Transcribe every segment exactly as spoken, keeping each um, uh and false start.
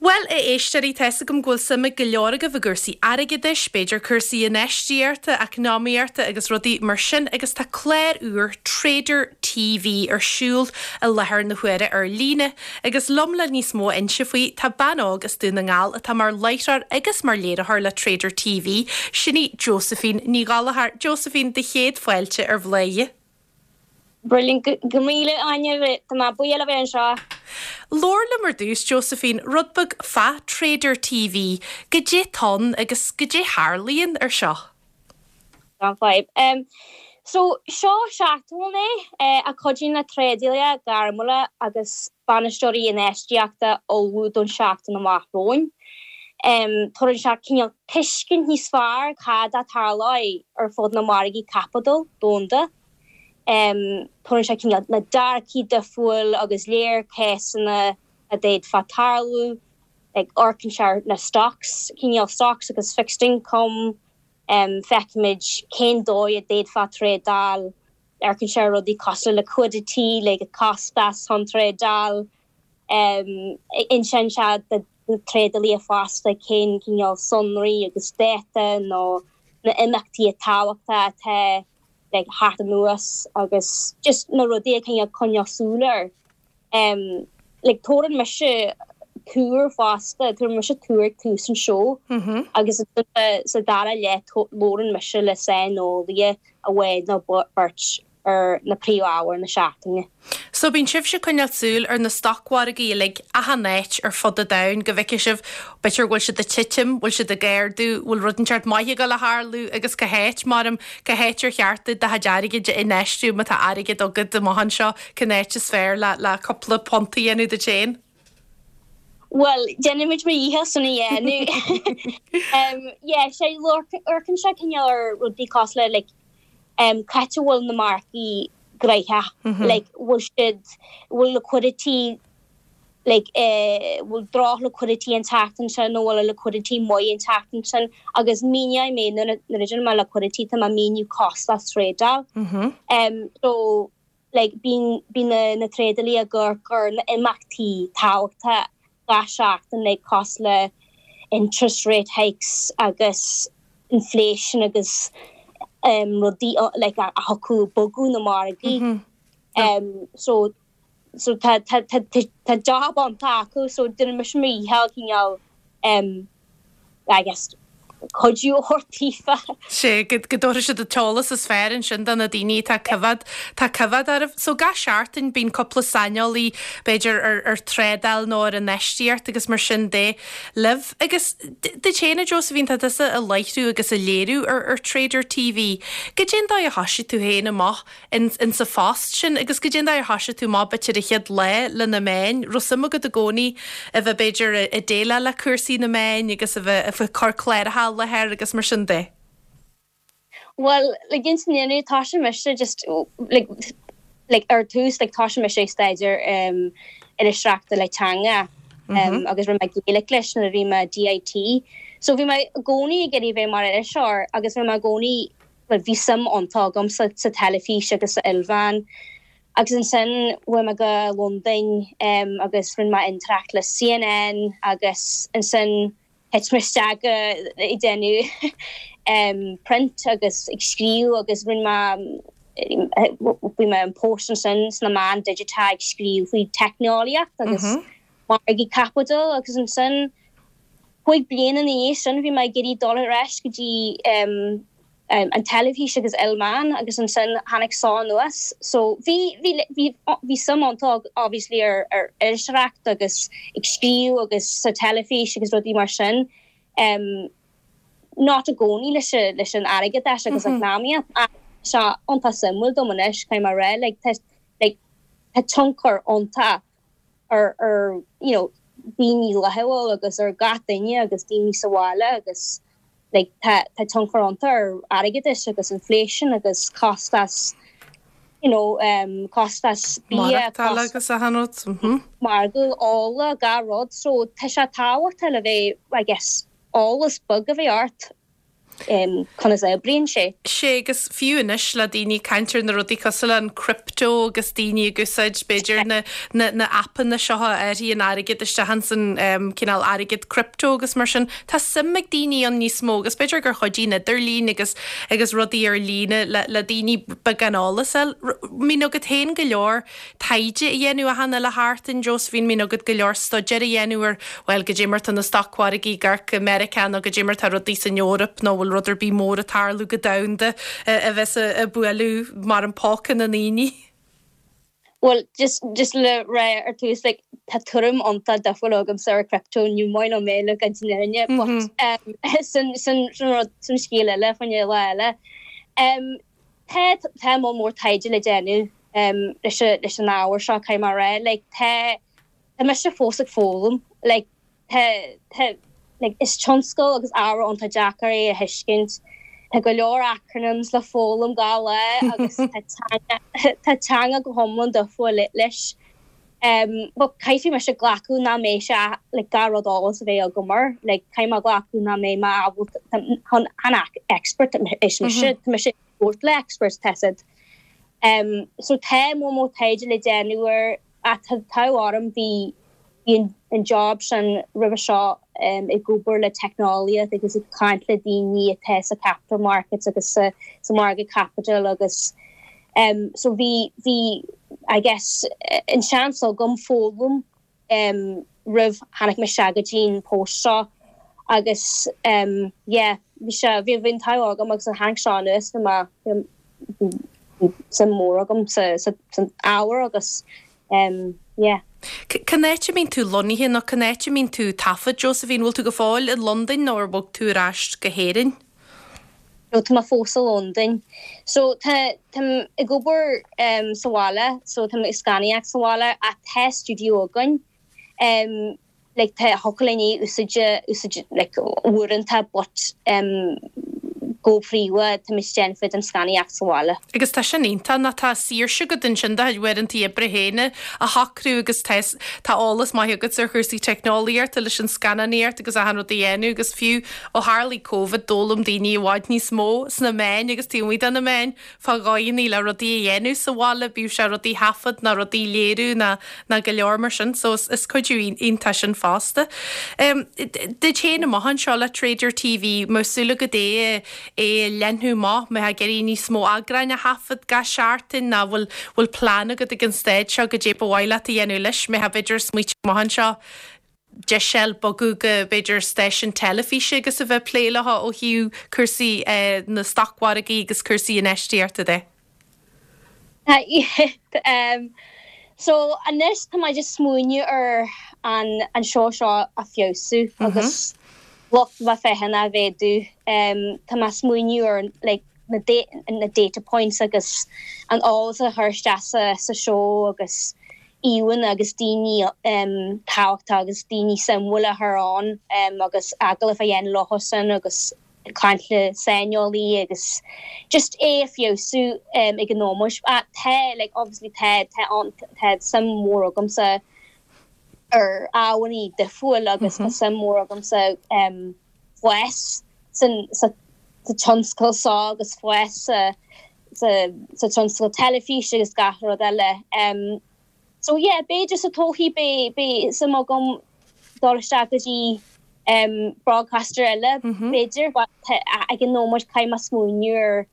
Well a éisteoirí tá a fhios agam go bhfuil suim ag go leor agaibh i gcúrsaí airgeadais, b'fhéidir cúrsaí infheistíochta, eacnamaíochta agus rudaí mar sin agus tá clár úr Trader TV ar siúl i láthair na huaire ar líne agus liom le níos mó a inse faoi tá bean óg as Dún na nGall atá mar láithreoir agus mar léiritheoir le Trader TV, sin í Josephine Ní Ghallchóir Josephine do chéad fáilte ar Bhladhaire. Brilliant go míle Áine tá mé buíoch le bheith anseo. Labhair liom ar dtús Josephine rud beag fá Trader TV, goidé atá ann agus goidé a tharlaíonn ar seo. Gan fadhb. Um, so seo seachtain é eh, a chuidíonn le trádálaithe gairmiúla agus bainisteoirí infheistíochta ullmhú don seachtain amach romhainn. Um, Tugann sé cineál tuiscint níos fearr cad a tharlóidh ar fud na margaí caipitil domhanda. Um, Tugann sé cineál na dearcthaí difriúil agus léirchésanna a d'fhéadfadh tarlú ag amharcann sé na stocks, cineál stocks agus fixed income, um, feicimid cén dóigh a d'fhéadfá trádáil amharcann sé rudaí cosúil liquidity le go costas chun trádáil um, insíonn sé do trádálaithe fosta cén cineál sonraí agus data nó na imeachtaí tábhachtacha atá like, thart anuas agus just na rudaí a cineál coinneáil súil air. Um, like, tugann mise tuar fosta tugann mise tuar tús an seó Mm -hmm. agus sa dara leath labhrann mise le saineolaí amháin nó beirt ar na príomhábhair na seachtaine. So bíonn sibhse coinneáil súil ar na stocmhargaí uilig achan áit ar fud an domhain go bhfeicfidh sibh b'fhéidir bhfuil siad ag titim, bhfuil siad ag ardú, bhfuil rud inteacht maith ag dul a tharlú agus cá háit mar cá háit ar cheart do chuid airgid a infheistiú má tá airgead agat amach anseo cén áit is fearr le le cúpla punt a dhéanamh duit féin. Well, déanaimid mo dhícheall san a dhéanamh. um, yeah, sé amharcann sé cineál ar rudaí cosúil le like, um, cá bhfuil na margaí gnóthach Mm -hmm. like bhfuil siad bhfuil liquidity like eh bhfuil droch liquidity an tseachtain sin nó bhfuil liquidity maith an tseachtain sin agus míneoidh mé nuair a deirim liquidity tá mé ag míniú costas trádáil. Mm -hmm. Um, so like bíonn bíonn na, na trádálaithe ag amharc ar na imeachtaí tábhachtacha gach seachtain like cosúil le interest rate hikes agus inflation agus um, rudaí uh, like, a, a thiocfadh bogadh na margaí. Mm -hmm. Um, so so tá tá tá tá job iontach acu so déanann mise mo dhícheall cineál um, I guess cuidiú daofa. Sé go go dtabharfaidh siad an t-eolas is fearr ansin do na daoine tá coimhéad tá coimhéad oraibh. So gach seachtain bíonn cúpla saineolaí b'fhéidir ar ar trádáil nó ar infheistíocht agus mar sin de libh. Agus duit féin Josephine tá tusa ag láithriú agus ag léiriú ar ar Trader TV. Goidé an dóigh a thosaigh tú féin amach in, in sa phost sin agus goidé an dóigh a thosaigh tú amach b'fhéidir an chéad lá le na meáin, raibh suim agat i gcónaí a bheith b'fhéidir ag déileáil le cúrsaí na meáin agus a bheith a bheith cur cláracha le agus mar sin de. Well like insin tá sé mise just like like ar tús like tá mise staidéar um, iriseoireachta le teanga um, mm -hmm. agus rinne mé Gaelic leis nuair a bhí mé DIT. So bhí mé i gcónaí ag iarraidh bheith mar iriseoir agus bhí mé i gcónaí well, bhí suim iontach agam sa, sa teilifís agus sa ilmheán. Agus ansin chuaigh mé go Londain um, agus rinne mé intreacht le CNN agus ansin thit mé isteach ag déanamh um, print agus ag scríobh agus rinne mé bhí mé an post ansin sna meáin digiteacha ag scríobh faoi teicneolaíocht agus mm -hmm. margaí caipitil agus ansin cúig bliana ina dhiaidh sin bhí mé ag iarraidh dul ar ais go dtí um, um, an teilifís agus ilmheán agus ansin tháinig seo anuas. So bhí bhí bhí bhí suim iontach obviously ar ar iriseoireacht agus ag scríobh agus sa teilifís agus rudaí mar sin. Um, not i gcónaí leis leis an airgeadas agus mm -hmm. eacnamaíocht sé iontach suimiúil dom anois cai mar ré like, like, tá tionchar iontach ar ar you know, daoine laethúil agus ar gach duine agus daoine sa bhaile agus like, tá tá tionchar iontach ar airgeadas agus inflation agus costas you know, um, costas bia agus a hanút. margadh ola gach rud so tá sé tábhachtach le bheith I guess eolas beag a bheith ort. um, conas a oibríonn sé. Sé agus fiú anois le daoine caint ar na rudaí cosúil le an crypto agus daoine ag úsáid b'fhéidir na, na, na appanna seo a áiríonn airgead isteach san um, cineál airgead crypto agus mar sin tá suim ag daoine ann níos mó agus b'fhéidir gur chuidigh an idirlíon agus agus rudaí ar líne le, le daoine beagán eolas eil. Mbíonn agat féin go leor taighde a dhéanamh achan uile sheachtain Josephine mbíonn agat go leor staidéar a dhéanamh ar well goidé mar tá na stocmhargaí ag amharc i Meiriceá nó goidé mar tá rudaí san Eoraip nó bhfuil rud ar bith mór ag tarlú go domhanda a bheith ag bualadh mar an póca na ndaoine. Well just just le rá ar tús like tá tuairim iontach difriúil agamsa ar crypto ní maith liom é le go fírinne but um, sin sin sin rud sin scéal eile fan lá eile. Um, tá tá mór mór taighde le déanamh um, leis leis an ábhar seo cai mar rá like tá tá mise fós ag foghlaim like tá tá like is tionscal agus ábhar iontach deacair é a thuiscint Tá go leor acronyms le foghlaim gach lá agus tá teanga go hiomlán difriúil leis. Um, but caithfidh mise glacadh nach mbeidh sé le gach rud eolas a bheith agam air, le caithfidh mé glacadh nach mbeidh mé ábalta an expert is mise tá mise sport le experts tested. Um, so tá mó mó taighde le déanamh air a tá orm bhí bhí an job sin roimhe seo um, ag obair le teicneolaíocht agus ag caint le daoine atá sa capital markets agus sa, sa margadh caipitil agus um, so bhí bhí I guess an seans agam foghlaim um, roimh tháinig mé go dtí an post seo agus um, yeah, bhí sé bhí bhí tá agam agus an tháinig seo anuas bhí bhí suim mór agam sa sa san ábhar agus um, yeah. Cén áit a mbíonn tú lonnaithe nó cén áit a mbíonn tú taifead Josephine bhfuil tú go fóill i Londain nó ar bhog tú ar ais go hÉirinn? No tá fós i Londain. So tá ag obair um, sa bhaile, so tá ag scannánaíocht sa bhaile ach tá studio againn. Um, like tá hochalinní úsáide úsáide like uaireanta but um, go príomha tá mis déan fid an scannánaíocht sa bhaile. Agus tá sin iontach ná tá saoirse agat ansin do uaireanta oibre féin a shocrú agus tá tá eolas maith agat ar chúrsaí teicneolaíochta leis an scannánaíocht agus achan rud a dhéanamh agus fiú ó tharlaigh Covid d'fhoghlaim daoine i bhfad níos mó sna meáin agus taobh de na meáin fá dhóigheanna le rudaí a dhéanamh sa bhaile bíodh sé rudaí taifead ná rudaí léiriú ná ná go leor mar sin, so is cuidiú iontach sin fosta. Um, Duit féin amach anseo le Trader TV mosúla go dé é leathnú amach mé ag níos mó eagráin a thaifead gach seachtain ná bhfuil bhfuil plean agat ag an staid seo goidé ba mhaith leat a dhéanamh leis mé b'fhéidir smaointe amach anseo de bogadh go b'fhéidir stáisiún teilifíse agus a bheith plé le ó thaobh cúrsaí eh, na stocmhargaí agus cúrsaí infheistíochta de. um, so anois tá mé just smaoineamh ar an an seo seo a fheabhsú mm -hmm. agus lucht bheith féachana a mhéadú um, tá mé smaoineamh ar like, na, da na data points agus an eolas a chur isteach sa sa show agus íhan agus daoine um, tábhachtacha agus daoine suimiúla a chur ann um, agus agallamh a dhéanamh leo sin agus caint le saineolaí agus just é a fheabhsú um, ag an nómas tá like obviously tá tá an tá suim mór agamsa ar ábhair difriúil agus mm -hmm. tá suim mór agamsa um, fás san sa sa tionscal seo agus fás sa sa sa tionscal teilifíse agus gach rud eile. Um, so yeah, b'fhéidir sa todhchaí beidh beidh suim agam dul isteach go dtí um, broadcaster eile mm -hmm. b'fhéidir ag an nómas caithfidh mé smaoineamh ar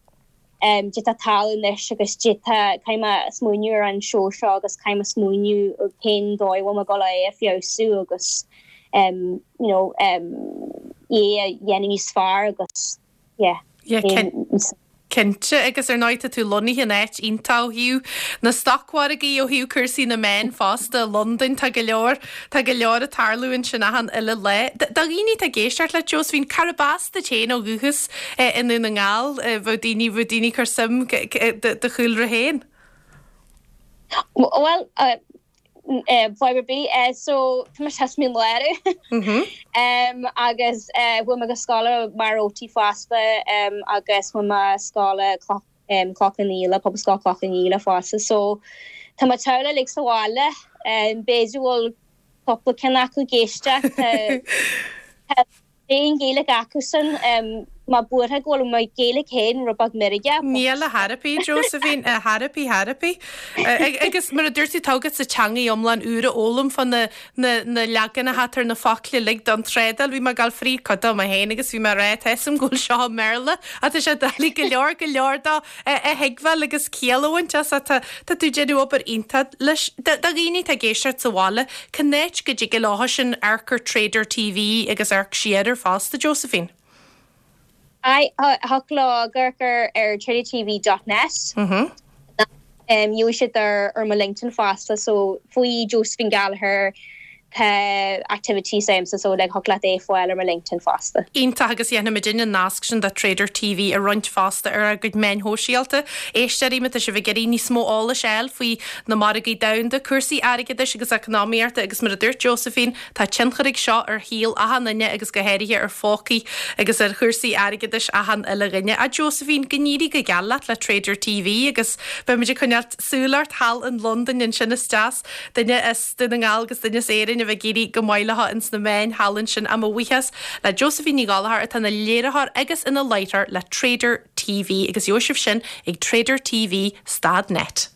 um, dita talúnis agus dita caima smuúir an seo seo agus caima smuúniú cén dóigh bhfuil mé ag dul é a fheabhsú agus um, you know, um, é a dhéanamh níos fearr agus yeah, yeah, Cinnte agus ar ndóigh tá tú lonnaithe in áit iontach ó thaobh na stocmhargaí ó thaobh cúrsaí na meán fosta Londain tá go leor tá go leor ag tarlú ansin achan uile lá. Do dhaoine atá ag éisteacht le Josephine cárb as duit féin ó dhúchas i nDún na nGall bheadh daoine bheadh daoine cur suim do chúlra féin. Well uh, uh, Fiber B uh, so tá sé min leir um, agus uh, bhfuil me go scoil Marótí fosta um, agus bhfuil me scoil um, Cloch na Míle Pobalscoil Chloch na Míle fosta so Tá mo theaghlach like sa bhaile um, b'fhéidir bhfuil cúpla ceann acu ag éisteacht Aon Ghaeilge acu san um, Mé buartha go bhfuil mo Ghaeilge féin rud beag meirgeach. Níl a therapy Josephine a therapy therapy. Agus mar a dúirt tú tá agatsa teanga iomlán úr a fhoghlaim fá na na leaganacha atá ar na focla uilig don trádáil. Bhí mé ag gabháil fríd cuid dó mé féin agus bhí mé ag rá tá 'fhios a'm go bhfuil seo i mBéarla ach tá sé doiligh go leor go leor dó a thuigbheáil agus ciall a bhaint as tá tá tú ag déanamh obair iontach leis. Do dhaoine atá ag éisteacht sa bhaile, cén áit go dtig leo sin amharc ar Trader TV agus amharc siar air fosta Josephine? Aye, thig leo amharc ar ar tradertv dot net. Gheobhaidh siad ar ar mo LinkedIn fosta so faoi Josephine Gallagher tá activities a'msa so like thig leat é fáil ar mo LinkedIn fosta. Iontach agus dhéanfaimid an nasc sin do Trader TV a roinnt fosta ar ár gcuid meáin shóisialta. Éisteoirí má tá sibh ag iarraidh níos mó eolais a fháil faoi na margaí domhanda, cúrsaí airgeadais agus eacnamaíochta agus mar a dúirt Josephine, tá tionchar ag seo ar shaol achan duine agus go háirithe ar phócaí agus ar chúrsaí airgeadais achan uile dhuine. A Josephine, go n-éirí go geal leat le Trader TV agus beimid ag coinneáil súil ort thall in Londain ansin is deas duine as Dún na nGall agus duine as Éirinn a bheith ag éirí go maith leo ins na meáin thall ansin. Mo bhuíochas le Josephine Ní Ghallchóir atá ina léiritheoir agus ina láithreoir le Trader TV agus gheobhaidh sibh sin ag Trader TV stad net.